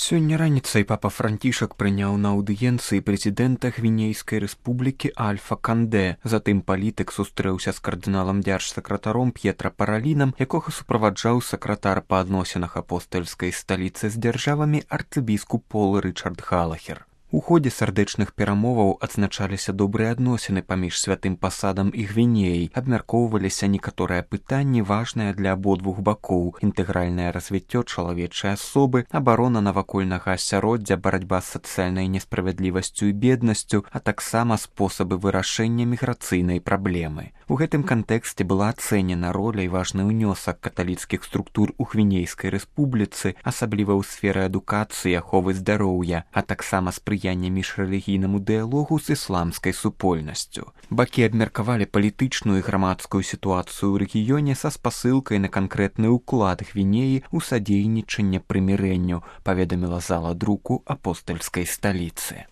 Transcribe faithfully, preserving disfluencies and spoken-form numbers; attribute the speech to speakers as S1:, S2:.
S1: Сёння раніцай папа Францішак прыняў на аўдыенцыі прэзідэнта Гвінейскай рэспублікі Альфа Кандэ. Затым палітык сустрэўся з кардыналам дзяржсакратаром П'етра Паралінам, якога суправаджаў сакратар па адносінах апостальскай сталіцы з дзяржавамі арцыбіскуп Пол Рычард Галахер. У ходзе сардэчных перамоваў адзначаліся добрыя адносіны паміж святым пасадам і Гвінеяй, абмяркоўваліся некаторыя пытанні, важныя для абодвух бакоў: інтэгральнае развіццё чалавечай асобы, абарона навакольнага асяроддзя, барацьба з сацыяльнай несправядлівасцю і беднасцю, а таксама спосабы вырашэння міграцыйнай праблемы. У гэтым кантэксце была ацэнена роля і важны ўнёсак каталіцкіх структур у Гвінейскай рэспубліцы, асабліва ў сферы адукацыі, аховы здароўя, а таксама спрыяння міжрэлігійнаму дыялогу з ісламскай супольнасцю. Бакі абмеркавалі палітычную і грамадскую сітуацыю ў рэгіёне са спасылкай на канкрэтны ўклад Гвінеі ў садзейнічанне прымірэнню, паведаміла зала друку апостальскай сталіцы.